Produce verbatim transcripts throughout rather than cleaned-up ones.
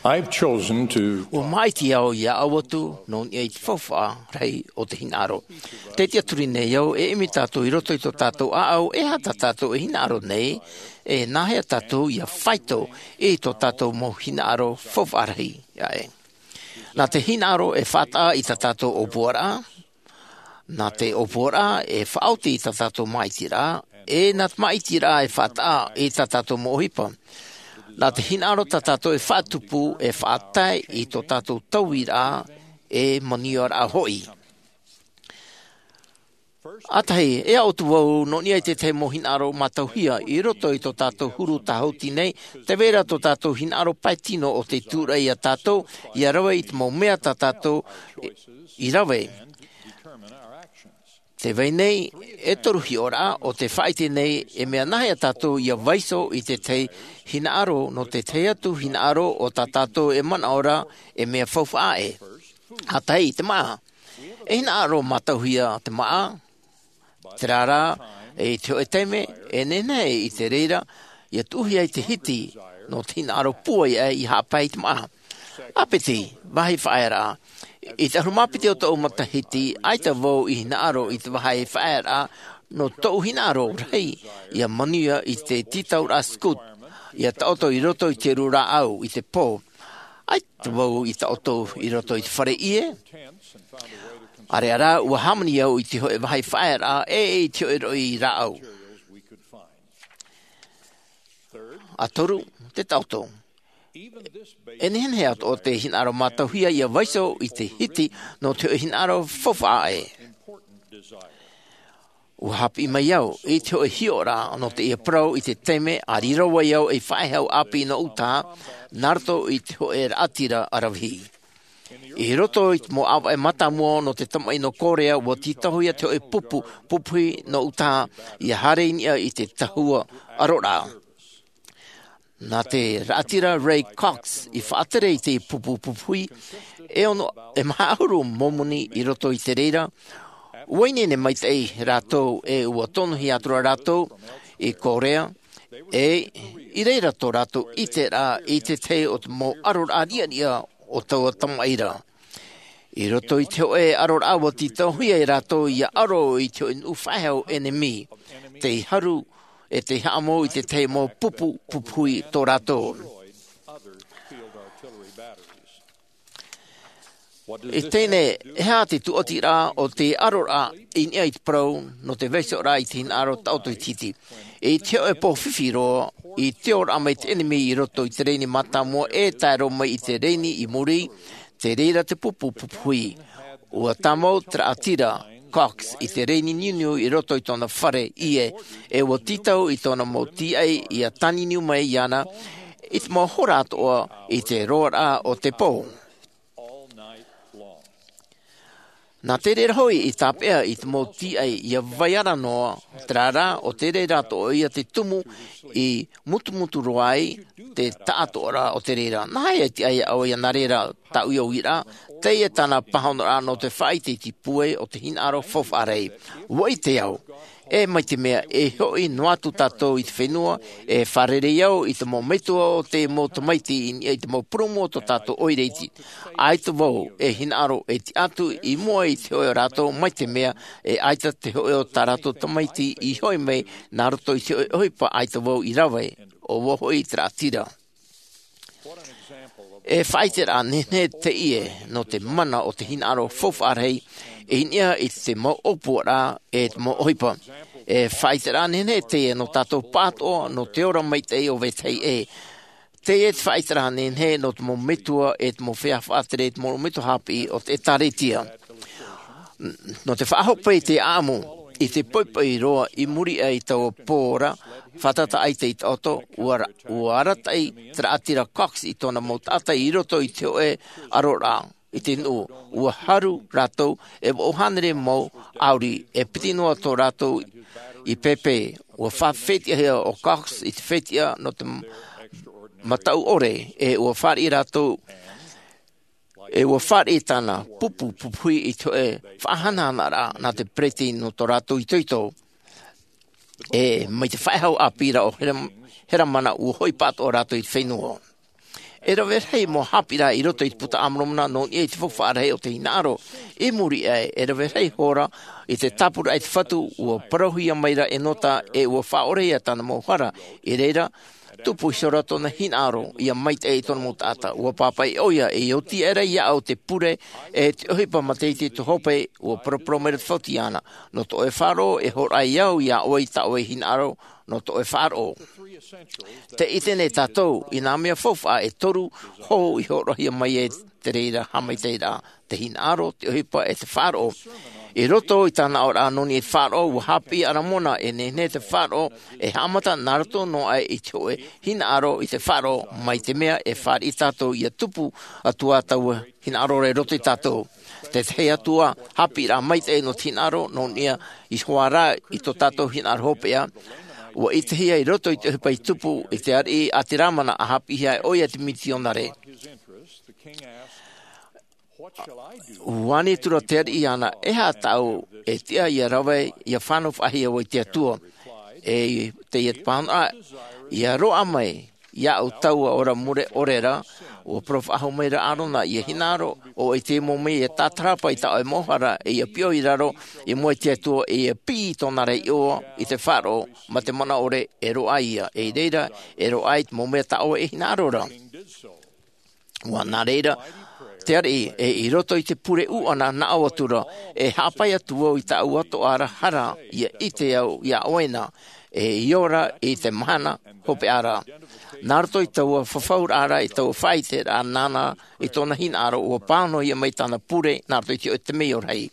I've chosen to. Ua māʻiti au ia ʻau atu nō niʻa i te faufaʻa rahi o te hinaʻaro. Tē tiʻaturi nei au e ʻimi tātou i roto i tō tātou ʻāʻau, e aha tā tātou e hinaʻaro nei, e nāhea tātou ia faito i tō tātou mau hinaʻaro faufaʻa rahi aʻe. Nā te hinaʻaro e faʻataʻa i tā tātou ʻōpuaraʻa, nā te ʻōpuaraʻa e faʻaoti i tā tātou māʻitiraʻa, e nā te māʻitiraʻa e faʻataʻa i tā tātou mau ʻohipa. Nā te hinaʻaro tā tātou e faʻatupu, e faʻatae i tō tātou tauiraʻa, e manuiaraʻa hoʻi. ʻA tahi, e aʻo atu vau nō niʻa i te tahi mau hinaʻaro mātauhia i roto i tō tātou huru tāhuti nei, tē vai ra tō tātou hinaʻaro pae tino o te tūraʻi ia tātou, ia rave i te mau mea tā tātou i rave. Tē vai nei e toru hiʻoraʻa o te faʻaʻite nei, e mea nāhea tātou ia vaiiho i te tahi hinaʻaro nō te tahi atu hinaʻaro o tā tātou e manaʻo ra e mea faufaʻa aʻe. ʻA tahi, te māʻa. E hinaʻaro mātauhia te māʻa, terā rā, i te hōʻē taime, e nehenehe i te reira, ia tuʻuhia i te hiti, nō te hinaʻaro pūai aʻe i haʻapae i te māʻa. ʻĀpiti, vāhi faʻaearaʻa. I te ʻahuru mā piti o tōʻu matahiti, ʻaita vau i hinaʻaro i te vāhi faʻaearaʻa, nō tōʻu hinaʻaro rahi, ia manuia i te tītauraʻa scout, ia taʻoto i roto i te uru rāʻau, i te pō. ʻAita vau i taʻoto i roto i te fare ʻie. ʻĀreʻa rā, ua hāmani au i te hōʻē vāhi faʻaearaʻa, e i te hōʻē roʻi rāʻau. ʻA toru, te taʻoto. E nehenehe atoʻa te hinaʻaro mātauhia ia vaiiho i te hiti nō te hōʻē hinaʻaro faufaʻa aʻe. Ua haʻapiʻi mai au i te hōʻē hiʻoraʻa nō teie parau i te taime a riro ai au ei faʻehau ʻāpī nō Utaha, nā roto i te hōʻē raʻatira ʻaravihi. I roto i te mau ʻāvaʻe mātāmua nō te tamaʻi nō Korea, ua tītauhia te hōʻē pupu pupuhi nō Utaha, ia haere i niʻa i te tahua ʻaroraʻa. Nā te raʻatira Ray Cox i faʻatere i te pupu pupuhi, e ono, e maha ʻahuru momoni i roto i te reira, ua ineine maitaʻi rātou e ua tonohia atu ra rātou i Korea, e i reira tō rātou ʻiteraʻa i te tahi o te mau ʻaroraʻa riʻariʻa o taua tamaʻi ra. I roto i te hōʻē ʻaroraʻa ua tītauhia e rātou ia ʻaro i te hōʻē nuʻu faʻehau ʻenemi, tei haru, e tei haʻamou i te tahi mau pupu pupuhi tō rātou. I teie nei, e aha te tūʻatiraʻa o te ʻaroraʻa i niʻa i te parau nō te vaiihoraʻa i te hinaʻaro taʻoto i te hiti? I te hōʻē pō fifi roa, i te ora mai te ʻenemi i roto i te rēni mātāmua e tae roa mai i te rēni i muri, tei reira te pupu pupuhi. Ua tāmau te raʻatira Cox i te rēni niuniu i roto i tōna fare ʻie, e ua tītau i tōna mau tīaʻi ia tāniuniu mai iāna i te mau hora atoʻa i te roaraʻa o te pō. Nā te reira hoʻi i tāpeʻa i te mau tīaʻi ia vai ara noa, terā rā, ʻo te reira atoʻa ia te tumu i mutumutu roa ai te taʻatoʻaraʻa o te reira. Nāhea e tiʻa ai ʻoe ia nā reira tāʻu i au ira, teie tāna pāhonoraʻa nō te faʻaʻite i te pūai o te hinaʻaro faufaʻa rahi. Ua ʻite au, e mai te mea e hoʻi noa atu tātou i te fenua, e fārerei au i te mau metua o te mau tamaiti i niʻa i te mau purūmu o tō tātou ʻoire iti. ʻAita vau e hinaʻaro e tiʻa atu i mua i te hōʻē o rātou, mai te mea e ʻaita te hōʻē o tā rātou tamaiti i hoʻi mai nā roto i te hōʻē ʻohipa ʻaita vau i rave, ʻo vau hoʻi te raʻatira. E faʻaʻiteraʻa nehenehe teie nō te mana o te hinaʻaro faufaʻa rahi i niʻa i te mau ʻōpuaraʻa e te mau ʻohipa. E faʻaʻiteraʻa nehenehe teie nō tātou pāʻatoʻa nō te ora maitaʻi o vetahi ʻē. Teie te faʻaʻiteraʻa nehenehe nō te mau metua e te mau feiā faʻatere, te mau metua haʻapiʻi o te ʻĒtārētia. Nō te faʻahope i te ʻāʻamu, i te poʻipoʻi roa i muri aʻe i taua pō ra, fātata ʻaita i taʻoto, ua ra-, ua arataʻi te raʻatira Cox i tōna mau taʻata i roto i te hōʻē ʻaroraʻa, i te nuʻu, ua haru rātou e vaʻu hānere mau ʻāuri, e piti noa tō rātou i pēpē, ua faʻafetiʻahia ʻo Cox i te fetiʻa nō te m-, mataʻu ʻore, e ua fāriʻi rātou, e ua fāriʻi tāna pupu pupuhi i te hōʻē faʻahanahanaraʻa nā te peretiteni nō tō rātou itoito. E mai te faʻehau ʻāpī ra ʻo Heram-, Heramana, ua hoʻi pāʻatoʻa rātou i te fenua. E rave rahi mau haʻapiʻiraʻa i roto i te puta a Moromona nō niʻa i te faufaʻa rahi o te hinaʻaro. I muri aʻe, e rave rahi hora i te tāpura i te Fatu, ua parauhia mai ra Enota e ua faʻaorehia tāna mau hara. I reira, tupu iho ra tōna hinaʻaro ia maitaʻi i tōna mau taʻata. Ua pāpaʻi ʻoia e oti aʻera iāʻu te pure e te ʻohipa mātaʻitaʻi i tō Hope. Ua paraparau mai ra te Fatu iāna, nō tō ʻoe faʻaroʻo e hōroʻa au iā ʻoe i tā ʻoe hinaʻaro nō tō ʻoe faʻaroʻo. Tē ʻite nei tātou i nā mea faufaʻa e toru hou i hōroʻahia mai ai te reira haʻamaitaʻiraʻa: te hinaʻaro, te ʻohipa, e te faʻaroʻo. I roto i tāna aʻoraʻa nō niʻa i te faʻaroʻo, ua haʻapiʻi ʻo Moromona e nehenehe te faʻaroʻo e haʻamata nā roto noa aʻe i te hōʻē hinaʻaro i te faʻaroʻo, mai te mea e fāriʻi tātou ia tupu atu ā taua hinaʻaro ra i roto iā tātou. Te tahi atu ā haʻapiʻiraʻa maitaʻi nō te hinaʻaro nō niʻa iho ā rā i tō tātou hinaʻaro hopeʻa, ua ʻitehia i roto i te ʻohipa i tupu i te ariʻi a te Lamana, ʻa haʻapiʻihia ai ʻoia i te mitionare. Ua ani atu ra te ariʻi iāna, e aha tāʻu e tiʻa ia rave, ia fānau faʻahou au i te Atua? E teie te pāhonoraʻa, ia roaʻa mai iāʻu taua ora mure ʻore ra. Ua parau faʻahou mai ra ʻo Arona, ia hinaʻaro ʻoe i te mau mea ia tātarahapa i tā ʻoe mau hara, e ia piʻo i raro i mua i te Atua, e ia piʻi i tōna ra iʻoa i te faʻaroʻo mā te mana ʻore, e roaʻa ia. I reira, e roaʻa i te mau mea tā ʻoe e hinaʻaro ra. Ua nā reira te ariʻi, e i roto i te pure ʻuʻana naʻo atu ra, e haʻapae atu vau i tāʻu atoʻa ra hara, ia ʻite au iā ʻoe na, e i ora i te mahana hopeʻa ra. Nā roto i taua fafauraʻa ra, i taua faʻaiteraʻa nāna i tōna hinaʻaro, ua pāhonohia mai tāna pure nā roto i te hōʻē temeio rahi.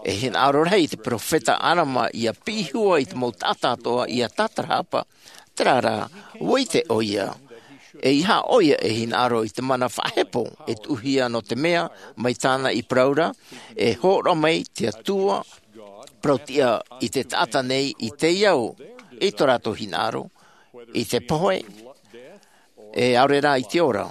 E hinaʻaro rahi te peropheta Alama ia piʻi hua i te mau taʻata atoʻa ia tātarahapa. Terā rā, ua ʻite ʻoia e ʻeiaha ʻoia e hinaʻaro i te mana faʻahepo e tuʻuhia, nō te mea, mai tāna i parau ra, e hōroʻa mai te Atua parau-tiʻa i te taʻata nei i te ao, i tō rātou hinaʻaro, i te pohe, e ʻaore rā i te ora.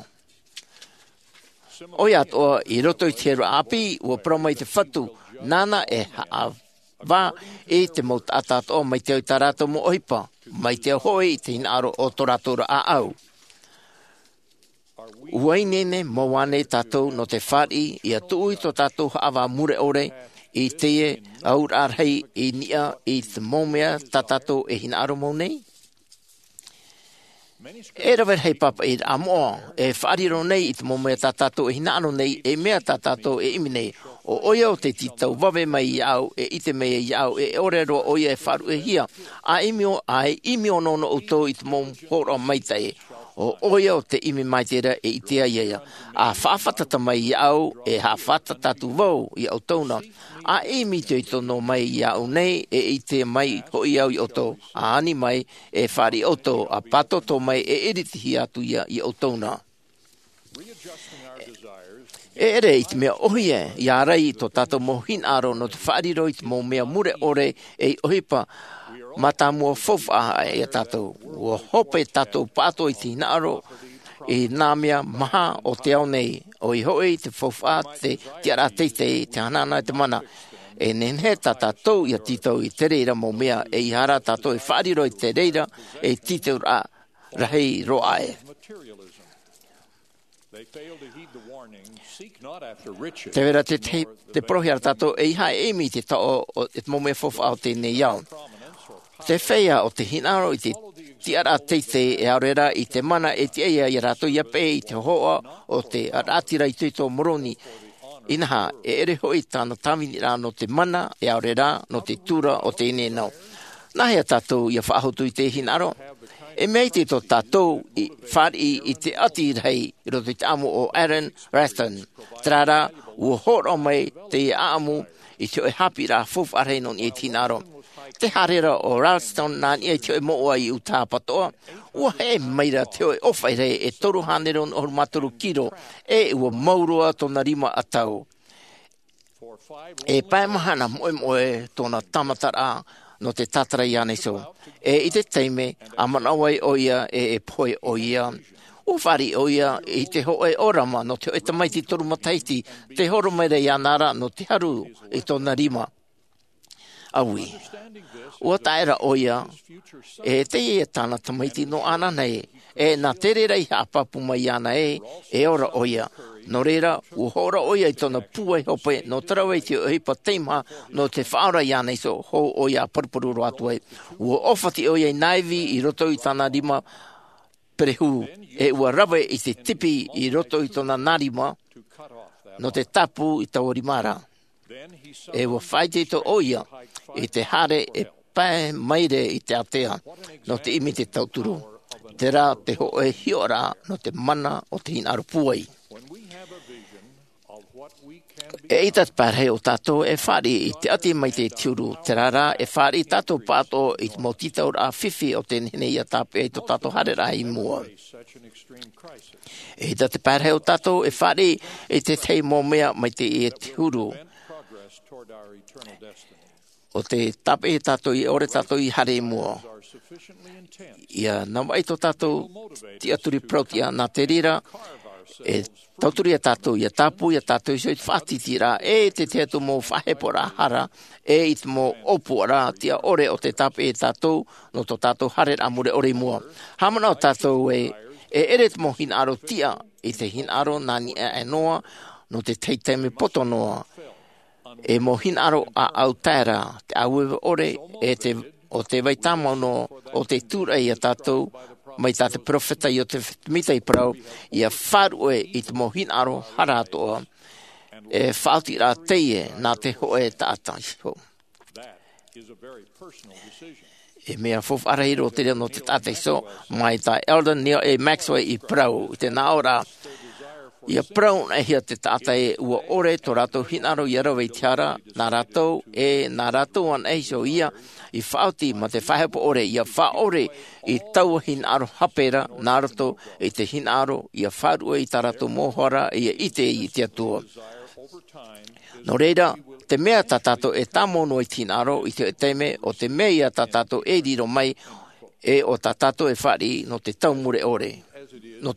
ʻOia atoʻa, i roto i te heraʻa ʻāpī, ua parau mai te Fatu, nāna e haʻavā i te mau taʻata atoʻa mai te ao i tā rātou mau ʻohipa, mai te ao hoʻi i te hinaʻaro o tō rātou ra ʻāʻau. ʻUa ineine mau ānei tātou nō te fāriʻi ia tuʻu i tō tātou haʻavā mure ʻore i teie auraʻa rahi i niʻa i te mau mea tā tātou e hinaʻaro mau nei? E rave rahi pāpaʻiraʻa moʻa e faʻariro nei i te mau mea tā tātou e hinaʻaro nei, e mea tā tātou e ʻimi nei. ʻO ʻoia ʻo te tītau vave mai iāʻu, e ʻite mai iāʻu e ʻore roa ʻoia e faʻaruʻehia. ʻA ʻimi ʻo, ʻa ʻimi ʻōnoʻono ʻoutou i te mau hōroʻa maitaʻi. ʻO ʻoia ʻo te ʻimi maitaʻi ra e ʻite ai ia. ʻA faʻafātata mai iāʻu, e faʻafātata atu vau iā ʻoutou na. ʻA ʻimi itoito noa mai iāʻu nei, e ʻite mai hoʻi au iā ʻoutou. ʻA ani mai, e fāriʻi ʻoutou, ʻa pātōtō mai, e iritihia atu ia iā ʻoutou na. E ʻere i te mea ʻōhie ia ārai i tō tātou mau hinaʻaro nō te faʻariro i te mau mea mure ʻore ei ʻohipa mātāmua faufaʻa iā tātou. ʻUa hope tātou pāʻatoʻa i te hinaʻaro i nā mea maha o te ao nei, ʻoia hoʻi te faufaʻa, te tiʻaraʻa teitei, te hanahana e te mana. E nehenehe tā tātou ia tītau i te reira mau mea, ʻeiaha rā tātou e faʻariro i te reira ei tītauraʻa rahi roa aʻe. Tē vai ra te, te, te parauhia ra tātou, ʻeiaha e ʻimi i te taʻo o, o te mau mea faufaʻa o teie nei ao. Te feiā o te hinaʻaro i te tiʻaraʻa teitei, e ʻaore rā i te mana e tiʻa ai iā rātou ia peʻe i te hōhoʻa o te raʻatira itoito o Moroni. Inaha, e ʻere hoʻi tāna tāviniraʻa nō te mana, e ʻaore rā nō te tura o teie nei ao. Nāhea tātou ia faʻahotu i te hinaʻaro? E mea iti tō tātou i fāriʻi i te ʻati rahi i roto i te ʻaʻamu o Alan Raston. Terā rā, ua hōroʻa mai teie ʻaʻamu i te hōʻē haʻapiʻiraʻa faufaʻa rahi nō niʻa i te hinaʻaro. Tē haere ra ʻo Raston nā niʻa i te hōʻē mouʻa i Utah patoʻa, ua heʻe mai ra te hōʻē ʻōfaʻi rahi e toru hānere ono ʻahuru mā toru kiro, e ua mau roa tōna rima ʻatau. E pae mahana moʻemoʻe tōna tāmataraʻa nō te tātara iāna iho. E i te taime, ʻa manaʻo ai ʻoia e, e pohe ʻoia. ʻUa fāriʻi ʻoia i te hōʻē ʻōrama nō te hōʻē tamaiti toru matahiti, tē horo mai ra iāna ra nō te haru i tōna rima. ʻaui. Ua taʻa ra ʻo ia e teie tāna tamaiti nō ʻānānā ē, e nā te reira i haʻapāpū mai iāna ē, e ora ʻo ia. Nō reira, ua hōroʻa ʻo ia i tōna pūai hope nō te rave i te ʻohipa teimaha nō te faʻaora iāna iho, hou ʻo ia a paruparu roa atu ai. Ua ʻōfati ʻo ia i nā ivi i roto i tāna rima perehū, e ua rave i te tipi i roto i tōna nā rima nō te tāpū i taua rima ra. E ua faʻaitoito ʻo ia i te haere e pae maire i te ātea nō te ʻimi i te tauturu. Terā te hōʻē hiʻoraʻa nō te mana o te hinaʻaro pūai. Eʻita te parahi o tātou e fāriʻi i te ʻati mai te huru, terā rā e fāriʻi tātou pāʻatoʻa i te mau tītauraʻa fifi o te nehenehe ia tāpeʻa i tō tātou haereraʻa i mua. Eʻita te parahi o tātou e fāriʻi i te tahi mau mea mai te huru. ʻO te tāpeʻa tātou ia ʻore tātou i haere i mua. Ia navaʻi tō tātou tiʻaturi parau-tiʻa nā te reira, e tauturu ia tātou, ia tāpū ia tātou iho i te faʻatītīraʻa, e te tahi atu mau faʻaheporaʻa hara, e i te mau ʻōpuaraʻa tiʻa ʻore ʻo te tāpeʻa tātou, nō tō tātou haereraʻa mure ʻore i mua. Haʻamanaʻo tātou ē, e ʻere te mau hinaʻaro tiʻa i te hinaʻaro nā niʻa aʻe noa, nō te tahi taime poto noa. E mau hinaʻaro ʻāʻau tae ra, te ʻāueue ʻore, e te, ʻo te vai tāmau noa, ʻo te tūraʻi ia tātou, mai tā te peropheta Iosefa Sāmita i parau, ia faʻaruʻe i te mau hinaʻaro hara atoʻa, e faʻaotiraʻa teie nā te hōʻē taʻata iho. E mea faufaʻa rahi roa terā nō te taʻata iho, mai tā Elder Neal A. Maxwell i parau, i te nā ʻō ra, ia parau anaʻe hia te taʻata ē ua ʻore tō rātou hinaʻaro ia rave i te hara, nā rātou, e nā rātou anaʻe iho ia, i faʻaoti mā te faʻahepo ʻore, ia faʻaʻore i taua hinaʻaro hape ra, nā roto i te hinaʻaro, ia faʻaruʻe i tā rātou mau hara, ia ʻite i te Atua. Nō reira, te mea tā tātou e tāmau noa i te hinaʻaro, i te taime, ʻo te mea ia tā tātou e riro mai, e ʻo tā tātou e fāriʻi nō te tau mure ʻore. Nō,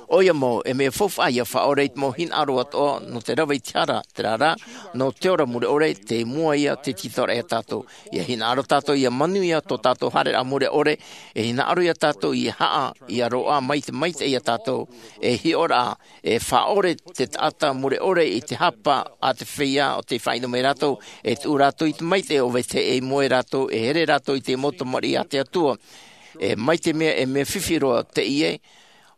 ʻoia mau, e mea faufaʻa ia faʻaʻore i te mau hinaʻaro atoʻa, nō te rave i te hara, terā rā, nō te ora mure ʻore, tei mua ia te tītauraʻa ia tātou. Ia hinaʻaro tātou, ia manuia tō tātou haereraʻa mure ʻore, e hinaʻaro ia tātou, ia haʻa, ia roaʻa mai te maitaʻi ia tātou, e hiʻoraʻa, e faʻaʻore te taʻata mure ʻore i te hapa a te feiā ʻo tei faʻaʻino mai rātou, e tuʻu rātou i te maitaʻi ʻo Vetahi ʻei moe rātou, e here rātou i te mau tamariʻi a te Atua. E mai te mea, e mea fifi roa teie,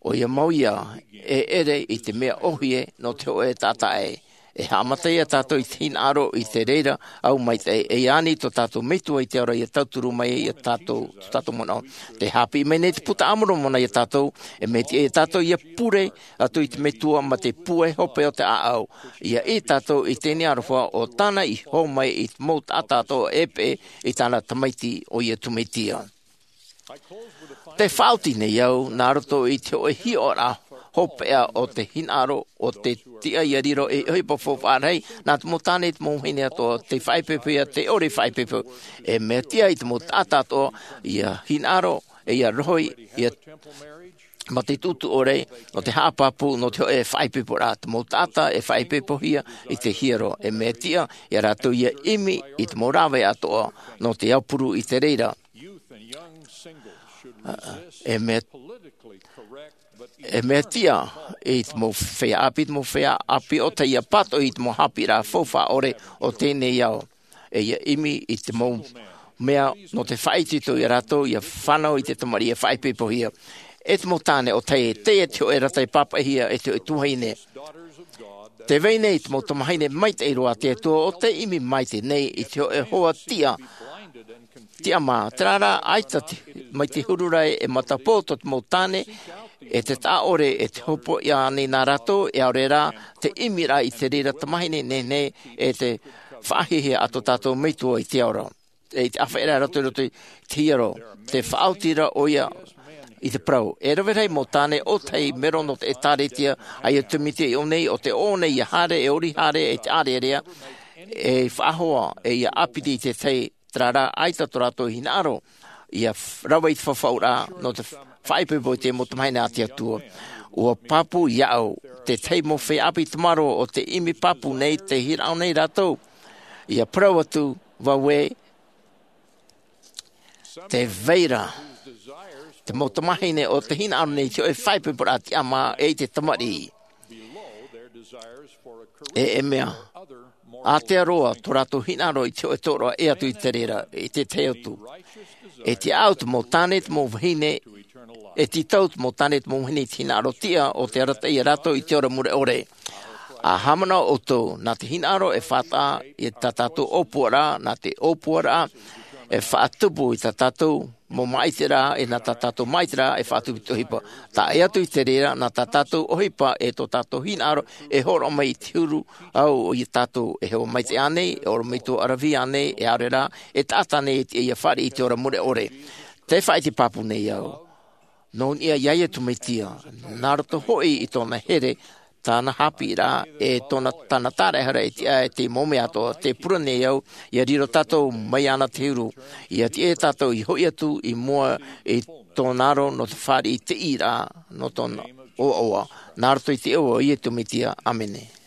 ʻoia mau ia, e ʻere i te mea ʻōhie nō te hōʻē taʻata ē. E haʻamata ia tātou i te hinaʻaro i te reira ʻau maitaʻi, e ani tō tātou Metua i te ao ra ia tauturu mai ia tātou, tō tātou manaʻo. Tē haʻapiʻi mai nei te Puta a Moromona ia tātou, e mea tiʻa ia tātou ia pure atu i te Metua mā te pūai hope o te ʻāʻau. Ia ʻī tātou i teie nei aroha ʻo tāna i hō mai i te mau taʻata atoʻa e peʻe i tāna Tamaiti ʻo Iesu Mesia. Tē faʻaoti nei au, nā roto i te hōʻē hiʻoraʻa hopeʻa o te hinaʻaro, ʻo te tiʻa ia riro ei ʻohipa faufaʻa rahi, nā te mau tāne, te mau vahine atoʻa, tei faʻaipoipo ia, tei ʻore i faʻaipoipo. E mea tiʻa i te mau taʻata atoʻa, ia hinaʻaro, e ia rohi, ia mā te tuʻutuʻu ʻore, nō te haʻapāpū, nō te hōʻē faʻaipoiporaʻa, te mau taʻata e faʻaipoipohia i te hiero. E mea tiʻa ia rātou ia ʻimi i te mau rāveʻa atoʻa, nō te aupuru i te reira. E mea, e mea tiʻa i te mau feiā ʻāpī, te mau feiā ʻāpī ʻo tei ia pātoʻi i te mau haʻapiʻiraʻa faufaʻa ʻore o teie nei ao. E ia ʻimi i te mau mea nō te faʻaitoito ia rātou, ia fānau i te tamariʻi e faʻaipoipohia. E te mau tāne ʻo tei, teie te hōʻē rata i pāpaʻihia e te hōʻē tuahine. Tē vai nei te mau tamahine maitaʻi roa a te Atua ʻo tei ʻimi maitaʻi nei i te hōʻē hoa tiʻa, tiʻamā, terā rā, ʻaita te, mai te huru ra e matapō tō te mau tāne, e te taʻa ʻore, e te hopoiʻa nei nā rātou, e ʻaore rā, te ʻimiraʻa i te reira tamahine nehenehe, e te faʻahiahia a tō tātou Metua i te ao ra. E i te ʻāfaʻiraʻa i roto, i roto i te hiero, tē faʻaoti ra ʻoia i te parau. E rave rahi mau tāne ʻo tei mero nō te ʻĒtārētia a Iesu Mesia i ʻō nei, ʻo tē ʻō nei ia haere, e ʻori haere, e te ʻārearea, e faʻahoa, e ia ʻāpiti i te tahi, terā rā, ʻaita tō rātou hinaʻaro, ia f-, rave i te fafauraʻa, nō te f-, faʻaipoipo i te mau tamahine a te Atua. ʻUa pāpū iāʻu, te tahi mau feiā ʻāpī tamaroa ʻo tei ʻimi pāpū nei, tei hinaʻaro nei rātou. Ia parau atu, vau ē, te vai ra te mau tamāhine o te hinaʻaro nei i te hoʻe faʻaipoiporaʻa tiʻamā e i te tamariʻi. E e mea ātea roa tō rātou hinaʻaro i te hoʻe tōroʻa e atu i te reira i te tahi atu. E tiʻa au te mau tāne, te mau vahine, e tītau te mau tāne, te mau vahine i te hinaʻaro tiʻa o te arataʻi ia rātou i te ora mure ʻore. A haʻamanaʻo ʻoutou nā te hinaʻaro e faʻataʻa i tā tātou ʻōpuaraʻa, nā te ʻōpuaraʻa e faʻatupu i tā tātou mau māʻitiraʻa, e nā tā tātou māʻitiraʻa e faʻatupu i te ʻohipa. Taʻa atu i te reira nā tā tātou ʻohipa e tō tātou hinaʻaro e hōroʻa mai i te huru. Au ia tātou e hoa maitaʻi ānei, e ʻorometua ʻaravihi ānei, e aore rā e taʻata ānei e tiʻa ia fāriʻi i te ora mure ʻore. Te faʻaʻite pāpū nei au nō niʻa iā iesu mesia, nā roto hoʻi i tōna here, tāna haʻapiʻiraʻa e tōna tāna tāraʻehara e tiʻa e te mau mea atoʻa te pure nei au ia riro tātou mai iāna te huru, ia tiʻa tātou i hoʻi atu i mua i tōna aro nō te fāriʻi i te ʻīraʻa nō tōna ʻoaʻoa. Nā roto i te iʻoa o iesu mesia, ʻāmene.